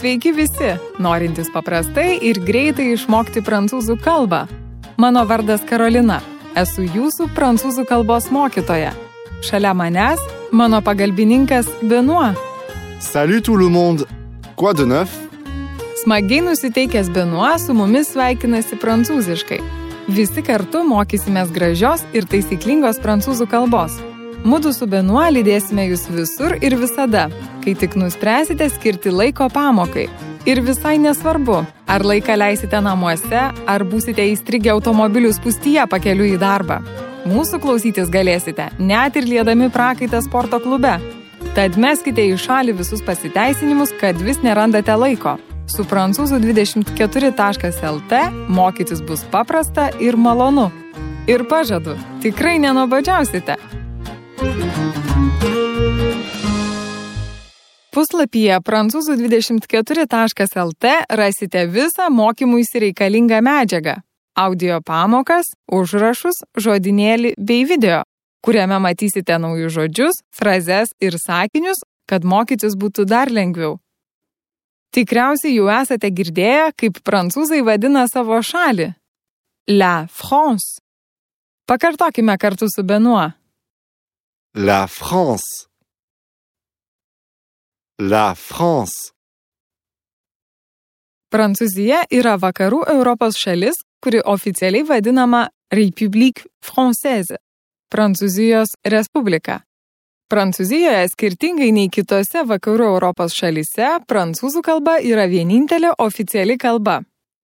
Sveiki visi, norintys paprastai ir greitai išmokti prancūzų kalbą. Mano vardas Karolina, esu jūsų prancūzų kalbos mokytoja. Šalia manęs mano pagalbininkas Benoît. Salut tout le monde! Quoi de neuf? Smagiai nusiteikęs Benoît su mumis sveikinasi prancūziškai. Visi kartu mokysimės gražios ir taisyklingos prancūzų kalbos. Mudu su Benoît lydėsime jūs visur ir visada, kai tik nuspręsite skirti laiko pamokai. Ir visai nesvarbu, ar laiką leisite namuose, ar būsite įstrigę automobilių spūstyje pakeliui į darbą. Mūsų klausytis galėsite, net ir liedami prakaitą sporto klube. Tad meskite į šalį visus pasiteisinimus, kad vis nerandate laiko. Su prancūzų24.lt mokytis bus paprasta ir malonu. Ir pažadu, tikrai nenuobodžiausite. Puslapyje prancūzų24.lt rasite visą mokymuisi reikalingą medžiagą, audio pamokas, užrašus, žodynėlį bei video, kuriame matysite naujus žodžius, frazes ir sakinius, kad mokytis būtų dar lengviau. Tikriausiai jau esate girdėję, kaip prancūzai vadina savo šalį. La France. Pakartokime kartu su Benoît. La France. La France. Prancūzija yra vakarų Europos šalis, kuri oficialiai vadinama République Française, Prancūzijos Respublika. Prancūzijoje, skirtingai nei kitose vakarų Europos šalyse, prancūzų kalba yra vienintelė oficiali kalba.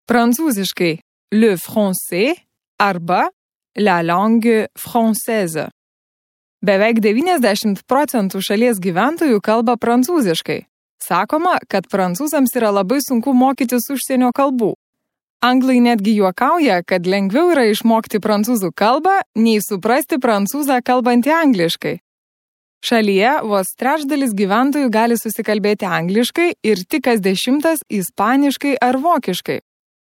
Prancūziškai le français arba la langue française. Beveik 90% šalies gyventojų kalba prancūziškai. Sakoma, kad prancūzams yra labai sunku mokytis užsienio kalbų. Anglai netgi juokauja, kad lengviau yra išmokti prancūzų kalbą, nei suprasti prancūzą kalbantį angliškai. Šalyje vos trečdalis gyventojų gali susikalbėti angliškai ir tik kas 10 ispaniškai ar vokiškai.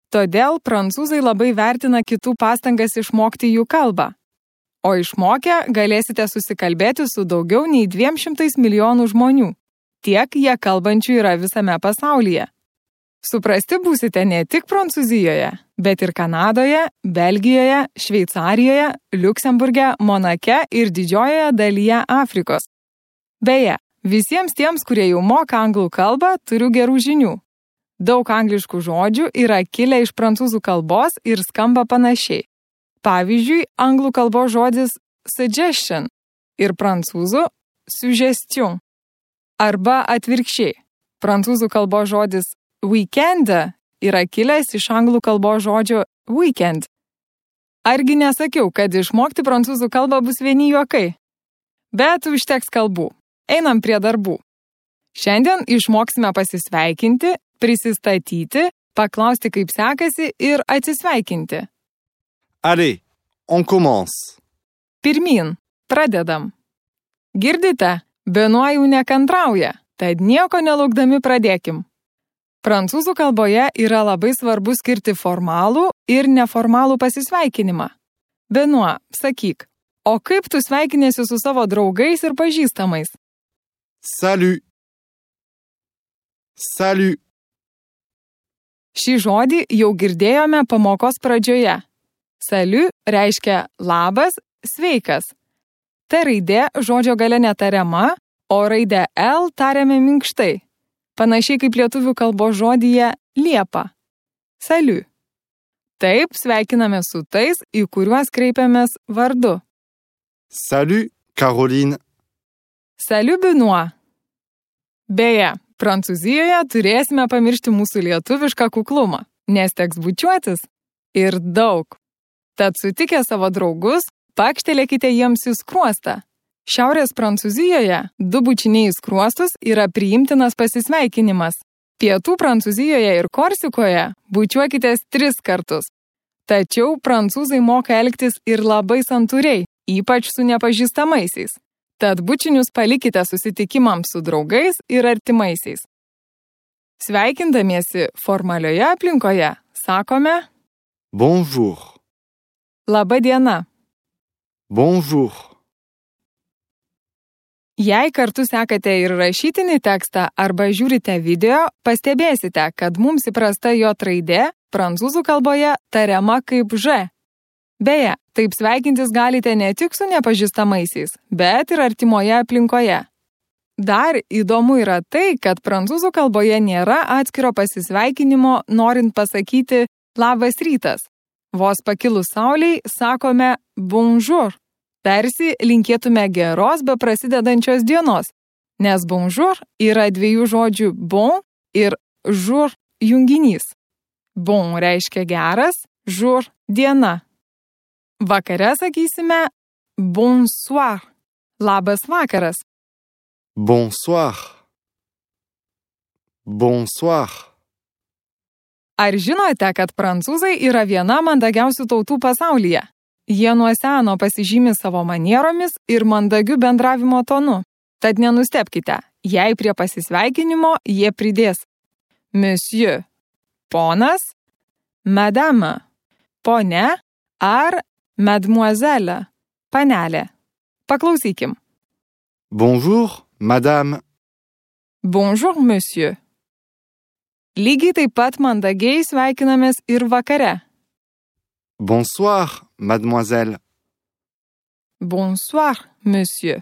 Todėl prancūzai labai vertina kitų pastangas išmokti jų kalbą. O išmokę galėsite susikalbėti su daugiau nei 200 milijonų žmonių. Tiek jie kalbančių yra visame pasaulyje. Suprasti būsite ne tik Prancūzijoje, bet ir Kanadoje, Belgijoje, Šveicarijoje, Liuksemburge, Monake ir didžiojoje dalyje Afrikos. Beje, visiems tiems, kurie jau moka anglų kalbą, turiu gerų žinių. Daug angliškų žodžių yra kilę iš prancūzų kalbos ir skamba panašiai. Pavyzdžiui, anglų kalbos žodis suggestion ir prancūzų suggestion. Arba atvirkščiai, prancūzų kalbos žodis weekend yra kilęs iš anglų kalbos žodžio weekend. Argi nesakiau, kad išmokti prancūzų kalbą bus vieni juokai? Bet užteks kalbų. Einam prie darbų. Šiandien išmoksime pasisveikinti, prisistatyti, paklausti, kaip sekasi ir atsisveikinti. Allez, on commence. Pirmyn, pradedam. Girdite, Benoît jau nekantrauja, tad nieko nelaukdami pradėkim. Prancūzų kalboje yra labai svarbu skirti formalų ir neformalų pasisveikinimą. Benoît, sakyk, o kaip tu sveikinėsi su savo draugais ir pažįstamais? Salut. Salut. Šį žodį jau girdėjome pamokos pradžioje. Salut reiškia labas, sveikas. T raidė žodžio gale netariama, o raidę L tariame minkštai. Panašiai kaip lietuvių kalbos žodyje liepa. Salut. Taip sveikiname su tais, į kuriuos kreipiamės vardu. Salut, Caroline. Salut, Benoît. Beje, Prancūzijoje turėsime pamiršti mūsų lietuvišką kuklumą, nes teks bučiuotis ir daug. Tad sutikę savo draugus, pakštelėkite jiems į skruostą. Šiaurės Prancūzijoje 2 bučiniai į skruostus yra priimtinas pasisveikinimas. Pietų Prancūzijoje ir Korsikoje bučiuokitės 3 kartus. Tačiau prancūzai moka elgtis ir labai santūriai, ypač su nepažįstamaisiais. Tad bučinius palikite susitikimams su draugais ir artimaisiais. Sveikindamiesi formalioje aplinkoje sakome Bonjour. Labą dieną. Bonjour. Jei kartu sekate ir rašytinį tekstą arba žiūrite video, pastebėsite, kad mums įprasta J raidė prancūzų kalboje tariama kaip Ž. Beje, taip sveikintis galite ne tik su nepažįstamaisiais, bet ir artimoje aplinkoje. Dar įdomu yra tai, kad prancūzų kalboje nėra atskiro pasisveikinimo, norint pasakyti labas rytas. Vos pakilus saulei sakome bonjour. Tarsi linkėtume geros be prasidedančios dienos, nes bonjour yra dviejų žodžių bon ir jour junginys. Bon reiškia geras, jour diena. Vakare sakysime bonsoir, labas vakaras. Bonsoir. Bonsoir. Ar žinote, kad prancūzai yra viena mandagiausių tautų pasaulyje? Jie nuo seno pasižymi savo manieromis ir mandagiu bendravimo tonu. Tad nenustebkite, jei prie pasisveikinimo jie pridės monsieur, ponas, madame, ponia ar mademoiselle, panelė. Paklausykim. Bonjour, madame. Bonjour, monsieur. Lygiai taip pat mandagiai sveikinamės ir vakare. Bonsoir, mademoiselle. Bonsoir, monsieur.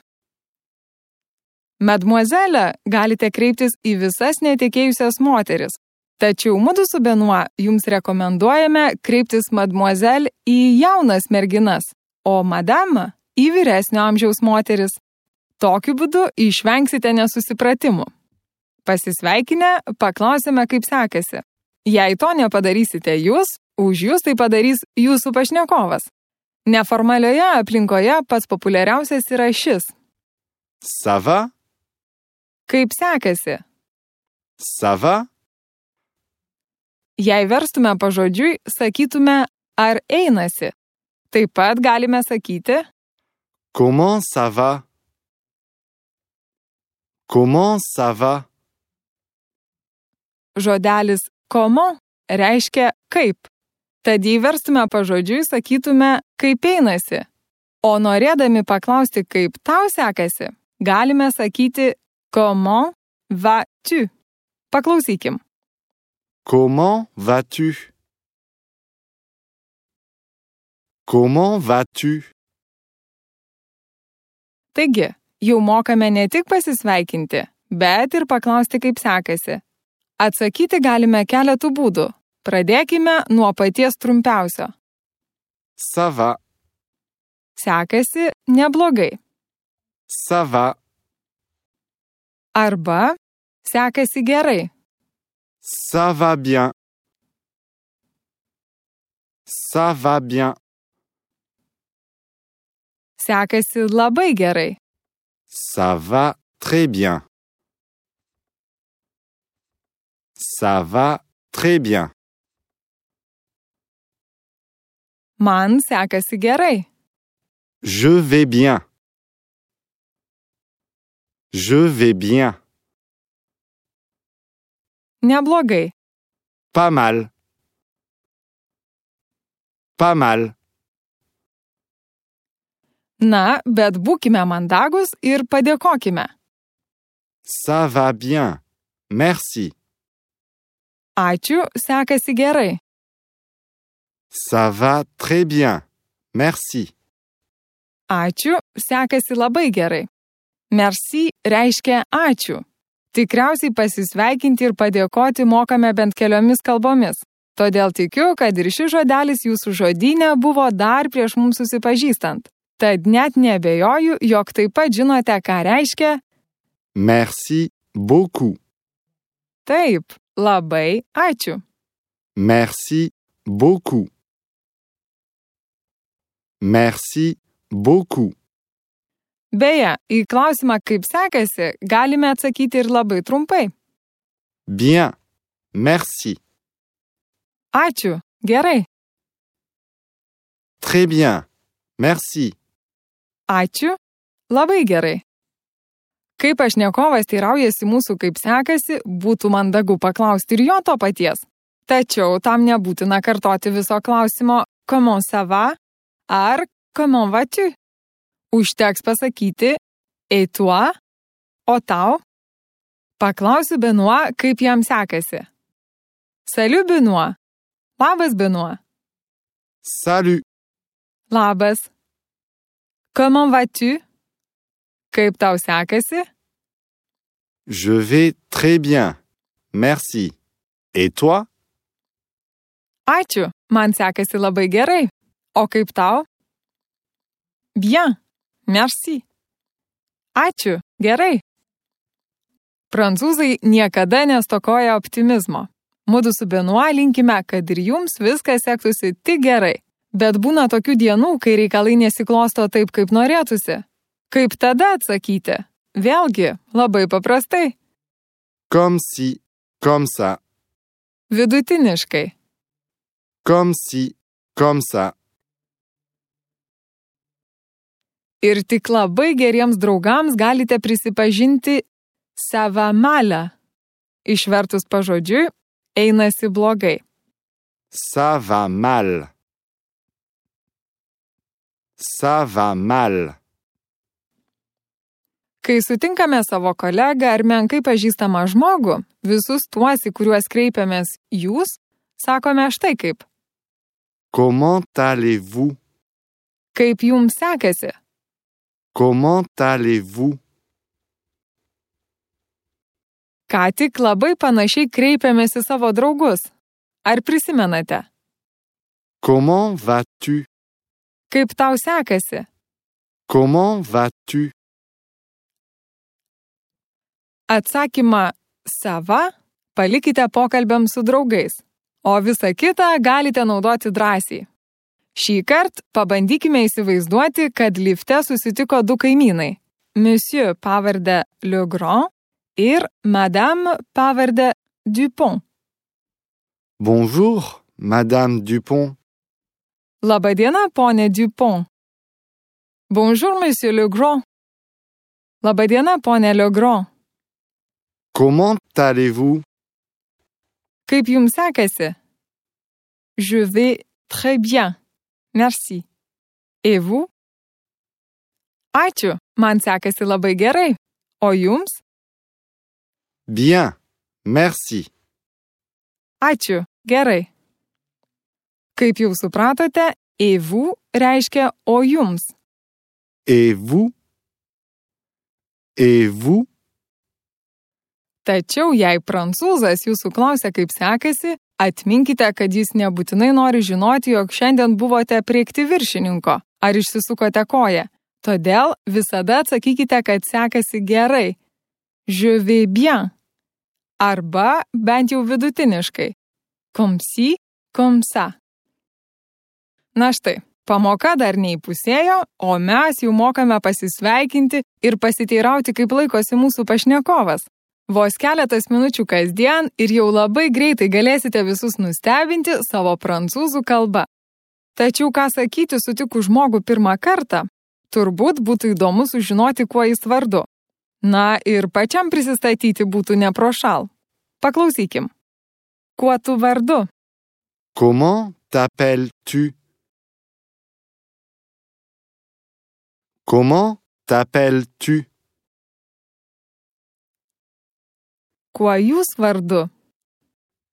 Mademoiselle galite kreiptis į visas netekėjusias moteris, tačiau mudu su Benoit jums rekomenduojame kreiptis mademoiselle į jaunas merginas, o madame į vyresnio amžiaus moteris. Tokiu būdu išvengsite nesusipratimų. Pasisveikinę, paklausėme, kaip sekasi. Jei to nepadarysite jūs, už jūs tai padarys jūsų pašnekovas. Neformalioje aplinkoje pats populiariausias yra šis. Ça va? Kaip sekasi? Ça va? Jei verstume pažodžiui, sakytume, ar einasi. Taip pat galime sakyti Comment ça va? Comment ça va? žodelis comment reiškia kaip. Tad jei verstume pažodžiui, sakytume, kaip einasi. O norėdami paklausti, kaip tau sekasi, galime sakyti comment vas-tu. Paklausykim. Comment vas-tu? Comment vas-tu? Taigi, jau mokame ne tik pasisveikinti, bet ir paklausti, kaip sekasi. Atsakyti galime keletų būdų. Pradėkime nuo paties trumpiausio. Ça va. Sekasi neblogai. Ça va. Arba sekasi gerai. Ça va bien. Ça va bien. Sekasi labai gerai. Ça va très bien. Ça va très bien. Man sekasi gerai. Je vais bien. Je vais bien. Neblogai. Pas mal. Pas mal. Na, bet būkime mandagus ir padėkokime. Ça va bien. Merci. Ačiū, sekasi gerai. Ça va très bien. Merci. Ačiū, sekasi labai gerai. Merci reiškia ačiū. Tikriausiai pasisveikinti ir padėkoti mokame bent keliomis kalbomis. Todėl tikiu, kad ir šis žodelis jūsų žodyne buvo dar prieš mums susipažįstant. Tad net neabejoju, jog taip pat žinote, ką reiškia Merci beaucoup. taip, labai ačiū. Merci beaucoup. Merci beaucoup. Beje, į klausimą, kaip sekasi, galime atsakyti ir labai trumpai. Bien. Merci. Ačiū, gerai. Très bien. Merci. Ačiū, labai gerai. Kai pašnekovas teiraujasi mūsų, kaip sekasi, būtų mandagu paklausti ir jo to paties. Tačiau tam nebūtina kartoti viso klausimo comment ça va ar comment vas-tu. Užteks pasakyti et toi O tau? Paklausiu Benoit, kaip jam sekasi. Salut Benoit. Labas Benoit. Salut. Labas. Comment vas-tu? Kaip tau sekasi? Je vais très bien. Merci. Et toi? Ačiū, man sekasi labai gerai. O kaip tau? Bien. Merci. Ačiū, gerai. Prancūzai niekada nestokoja optimizmo. Mudu su Benoit linkime, kad ir jums viskas sektųsi tik gerai. Bet būna tokių dienų, kai reikalai nesiklosto taip, kaip norėtųsi. Kaip tada atsakyti? Vėlgi, labai paprastai. Comme si, comme ça. Vidutiniškai. Comme si, comme ça. Ir tik labai geriems draugams galite prisipažinti ça va mal. Išvertus pažodžiui, einasi blogai. Ça va mal. Ça va mal. Kai sutinkame savo kolegą ar menkai pažįstamą žmogų, visus tuos, į kuriuos kreipiamės jūs, sakome štai kaip. Comment allez-vous? Kaip jums sekasi? Comment allez-vous? Ką tik labai panašiai kreipiamės į savo draugus. Ar prisimenate? Comment vas-tu? Kaip tau sekasi? Comment vas-tu? Atsakymą sava palikite pokalbiams su draugais, o visą kitą galite naudoti drąsiai. Šįkart pabandykime įsivaizduoti, kad lifte susitiko du kaimynai. Monsieur pavardę Legrand ir Madame pavardę Dupont. Bonjour, Madame Dupont. Labadiena, ponė Dupont. Bonjour, Monsieur Legrand. Labadiena, ponė Legrand. Comment allez-vous? Kaip jums sekasi? Je vais très bien. Merci. Et vous? Ačiū, man sekasi labai gerai. O jums? Bien, merci. Ačiū, gerai. Kaip jau supratote, et vous reiškia o jums. Et vous? Et vous? Tačiau jei prancūzas jūsų klausia, kaip sekasi, atminkite, kad jis nebūtinai nori žinoti, jog šiandien buvote priekti viršininko ar išsisukote koją. Todėl visada atsakykite, kad sekasi gerai. Je vais bien. Arba bent jau vidutiniškai. Comme si, comme ça. Na štai, pamoka dar neįpusėjo, o mes jau mokame pasisveikinti ir pasiteirauti, kaip laikosi mūsų pašnekovas. Vos keletas minučių kasdien ir jau labai greitai galėsite visus nustebinti savo prancūzų kalba. Tačiau ką sakyti sutikus žmogų pirmą kartą, turbūt būtų įdomu sužinoti, kuo jis vardu. Na ir pačiam prisistatyti būtų neprošal. Paklausykim. Kuo tu vardu? Comment t'appelles-tu? Comment t'appelles-tu? Kuo jūs vardu?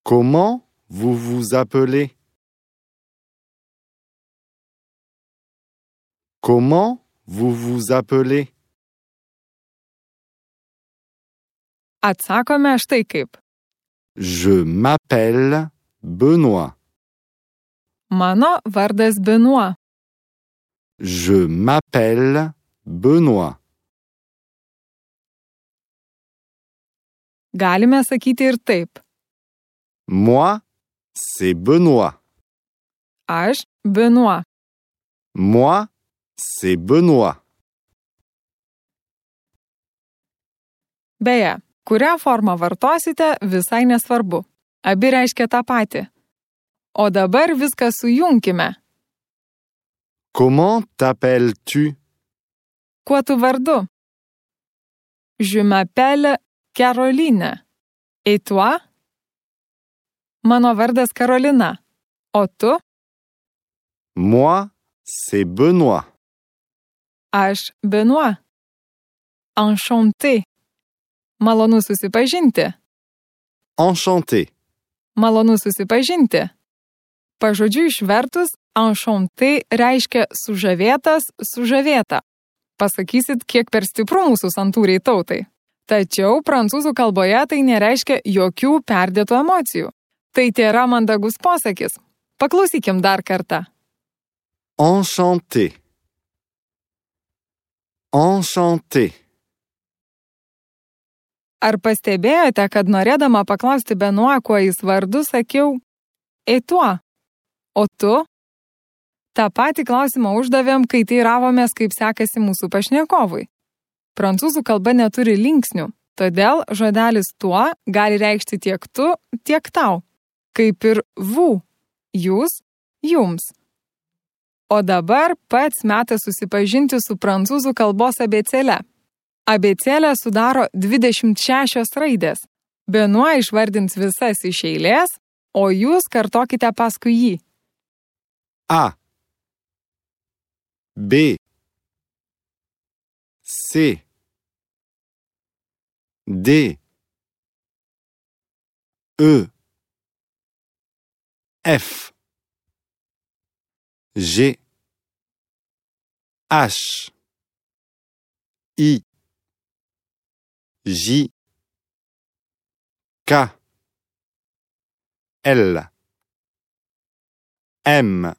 Comment vous vous appelez? Comment vous vous appelez? Atsakome štai kaip. Je m'appelle Benoît. Mano vardas Benoit. Je m'appelle Benoît. Galime sakyti ir taip. Moi, c'est Benoît. Aš Benoit. Moi, c'est Benoît. Beje, kurią formą vartosite, visai nesvarbu. Abi reiškia tą patį. O dabar viską sujunkime. Comment t'appelles-tu? Kuo tu vardu? Je m'appelle Caroline. Et toi? Mano vardas Karolina. O tu? Moi, c'est Benoît. Aš Benoit. Enchanté. Malonu susipažinti. Enchanté. Malonu susipažinti. Pažodžiui išvertus, enchanté reiškia sužavėtas, sužavėta. Pasakysit, kiek per stipru mūsų santūriai tautai. Tačiau prancūzų kalboje tai nereiškia jokių perdėtų emocijų. Tai tėra mandagus posakis. Paklausykim dar kartą. Enchanté. Enchanté. Ar pastebėjote, kad norėdama paklausti Benoit, kuo jis vardu, sakiau et toi? O tu? Ta patį klausimą uždavėm, kai teiravomės, kaip sekasi mūsų pašnekovui. Prancūzų kalba neturi linksnių, todėl žodelis tuo gali reikšti tiek tu, tiek tau. Kaip ir vous, jūs, jums. O dabar pats metas susipažinti su prancūzų kalbos abėcėle. Abėcėlę sudaro 26 raidės. Benoit išvardins visas iš eilės, o jūs kartokite paskui jį. A. B. C. D. E. F. G. H. I. J. K. L. M.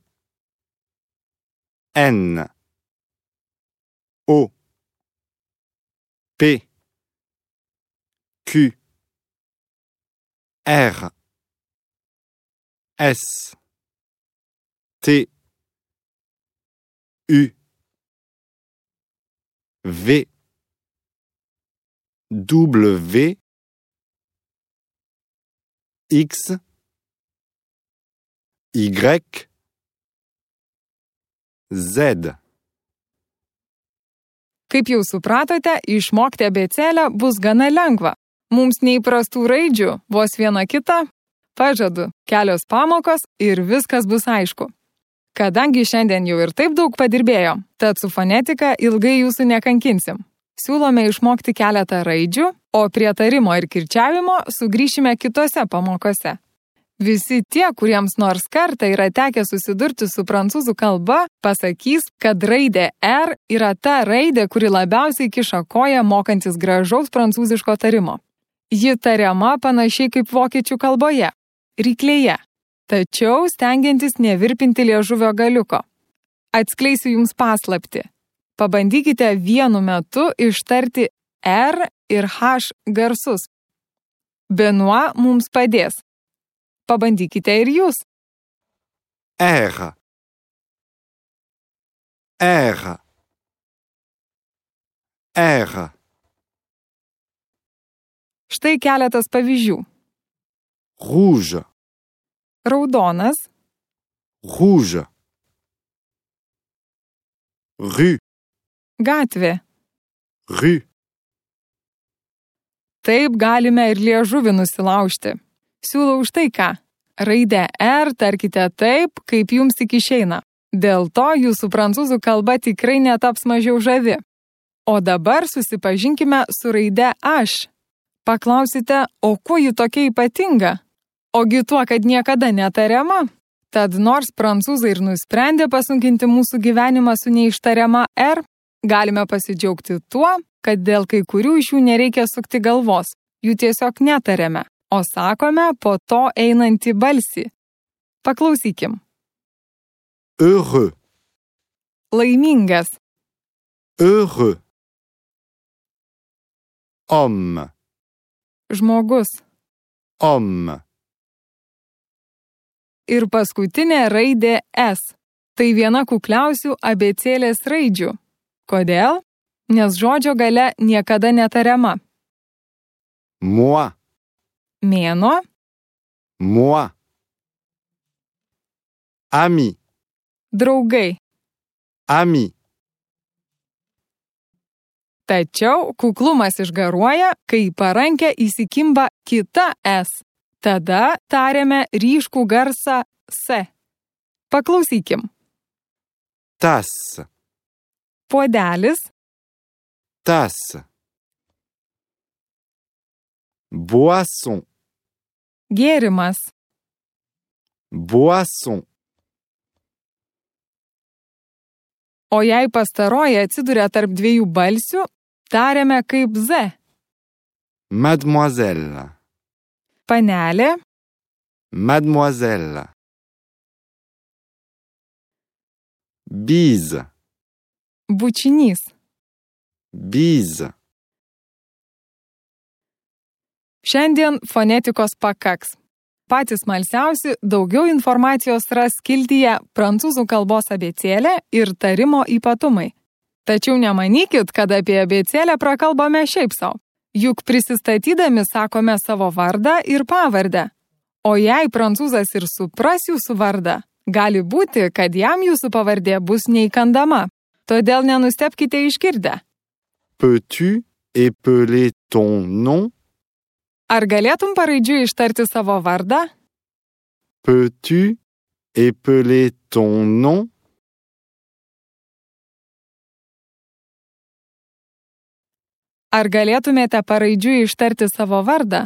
N. O. P. Q. R. S. T. U. V. W. X. Y. Z. Kaip jau supratote, išmokti abėcėlę bus gana lengva. Mums neįprastų raidžių, vos viena kita. Pažadu, kelios pamokos ir viskas bus aišku. Kadangi šiandien jau ir taip daug padirbėjom, tad su fonetika ilgai jūsų nekankinsim. Siūlome išmokti keletą raidžių, o prie tarimo ir kirčiavimo sugrįšime kitose pamokose. Visi tie, kuriems nors kartą yra tekę susidurti su prancūzų kalba, pasakys, kad raidė R yra ta raidė, kuri labiausiai kiša koją mokantis gražaus prancūziško tarimo. Ji tariama panašiai kaip vokiečių kalboje – ryklėje, tačiau stengiantis nevirpinti liežuvio galiuko. Atskleisiu jums paslaptį. Pabandykite vienu metu ištarti R ir H garsus. Benoit mums padės. Pabandykite ir jūs. R. R. R. Štai keletas pavyzdžių. Rouge. Raudonas, Rouge. Rue. gatvė. Rue. Taip galime ir liežuvį nusilaužti. Siūlau štai ką. Raidę R tarkite taip, kaip jums tik išeina. Dėl to jūsų prancūzų kalba tikrai netaps mažiau žavi. O dabar susipažinkime su raide H. Paklausite, o kuo ji tokia ypatinga? Ogi tuo, kad niekada netariama. Tad nors prancūzai ir nusprendė pasunkinti mūsų gyvenimą su neištariama R, galime pasidžiaugti tuo, kad dėl kai kurių iš jų nereikia sukti galvos. Jų tiesiog netariame, o sakome po to einantį balsį. Paklausykim. Heureux. Laimingas. Heureux. Homme. Žmogus. Homme. Ir paskutinė raidė S. Tai viena kukliausių abėcėlės raidžių. Kodėl? Nes žodžio gale niekada netariama. Moi. Mėnuo. Moi. Ami. Draugai. Ami. Tačiau kuklumas išgaruoja, kai į parankę įsikimba kita S. Tada tariame ryškų garsą S. Paklausykim. Tasse. Puodelis. Tasse. Boisson. Gėrimas. Boisson. O jei pastaroji atsiduria tarp dviejų balsių, tariame kaip Z. Mademoiselle. Panelė. Mademoiselle. Bise. Bučinys. Bise. Šiandien fonetikos pakaks. Patys smalsiausi daugiau informacijos ras skiltyje prancūzų kalbos abėcėlė ir tarimo ypatumai. Tačiau nemanykit, kad apie abėcėlę prakalbame šiaip sau. Juk prisistatydami sakome savo vardą ir pavardę. O jei prancūzas ir supras jūsų vardą, gali būti, kad jam jūsų pavardė bus neįkandama. Todėl nenustebkite išgirdę. Peux-tu épeler ton nom? Ar galėtum paraidžiui ištarti savo vardą? Peux-tu épeler ton nom? Ar galėtumėte paraidžiui ištarti savo vardą?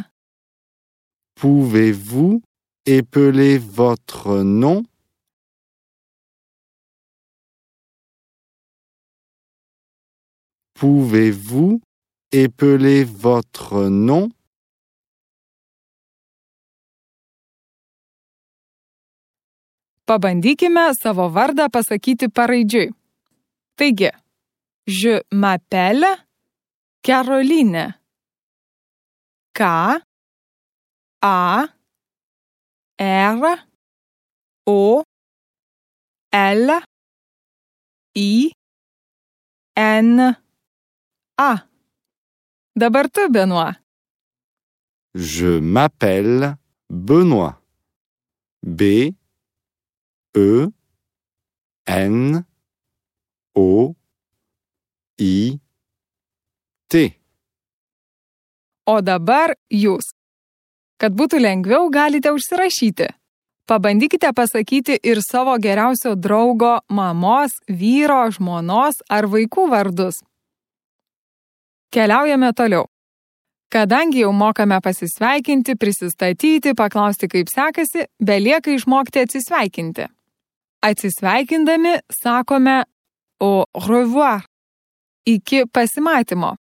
Pouvez-vous épeler votre nom? Pouvez-vous épeler votre nom? Pabandykime savo vardą pasakyti paraidžiui. Taigi, je m'appelle Caroline. K, A, R, O, L, I, N, A. Dabar tu, Benoît. Je m'appelle Benoît. B, E, N, O, I, T. O dabar jūs. Kad būtų lengviau, galite užsirašyti. Pabandykite pasakyti ir savo geriausio draugo, mamos, vyro, žmonos ar vaikų vardus. Keliaujame toliau. Kadangi jau mokame pasisveikinti, prisistatyti, paklausti kaip sekasi, belieka išmokti atsisveikinti. Atsisveikindami sakome au revoir. Iki pasimatymo.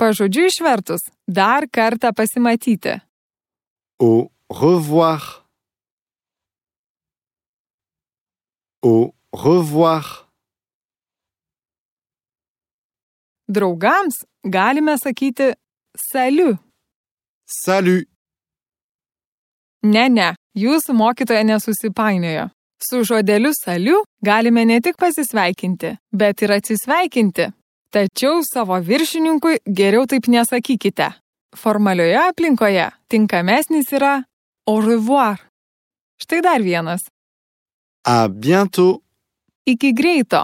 Pažodžiu išvertus, dar kartą pasimatyti. Au revoir. Au revoir. Draugams galime sakyti salut. Salut. Ne, jūsų mokytoja nesusipainiojo. Su žodeliu salut galime ne tik pasisveikinti, bet ir atsisveikinti. Tačiau savo viršininkui geriau taip nesakykite. Formalioje aplinkoje tinkamesnis yra au revoir. Štai dar vienas. À bientôt. Iki greito.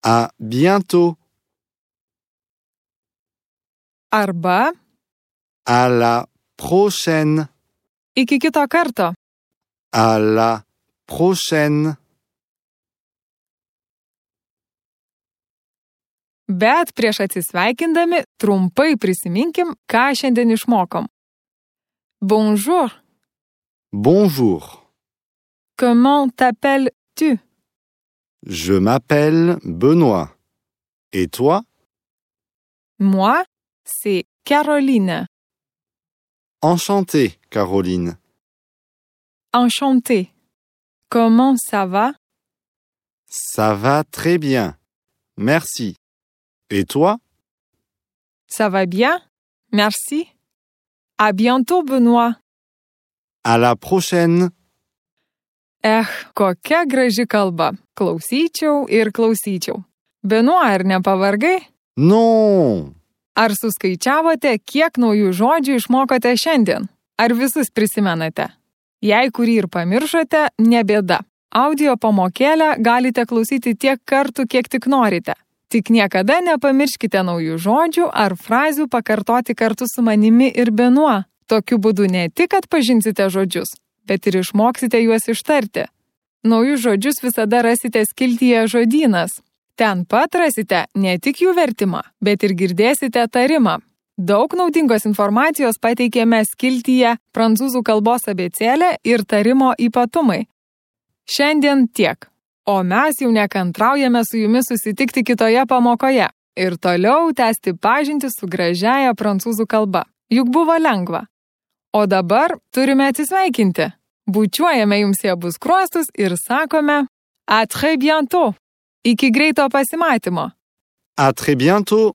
À bientôt. Arba À la prochaine. iki kito karto. À la prochaine. Bet prieš atsisveikindami trumpai prisiminkim, ką šiandien išmokom. Bonjour. Bonjour. Comment t'appelles-tu? Je m'appelle Benoît. Et toi? Moi, c'est Caroline. Enchantée, Caroline. Enchantée. Comment ça va? Ça va très bien. Merci. Et toi? Ça va bien? Merci. À bientôt, Benoît. À la prochaine. Kokia graži kalba. Klausyčiau ir klausyčiau. Benoît, ar nepavargai? Non! Ar suskaičiavote, kiek naujų žodžių išmokote šiandien? Ar visus prisimenate? Jei kurį ir pamiršote, ne bėda. Audio pamokėlę galite klausyti tiek kartų, kiek tik norite. Tik niekada nepamirškite naujų žodžių ar frazių pakartoti kartu su manimi ir Benoît. Tokiu būdu ne tik atpažinsite žodžius, bet ir išmoksite juos ištarti. Naujus žodžius visada rasite skiltyje žodynas. Ten pat rasite ne tik jų vertimą, bet ir girdėsite tarimą. Daug naudingos informacijos pateikėme skiltyje prancūzų kalbos abėcėlė ir tarimo ypatumai. Šiandien tiek, o mes jau nekantraujame su jumis susitikti kitoje pamokoje ir toliau tęsti pažintį su gražiaja prancūzų kalba. Juk buvo lengva. O dabar turime atsisveikinti. Bučiuojame jums į abu skruostus ir sakome à très bientôt. Iki greito pasimatymo. À très bientôt.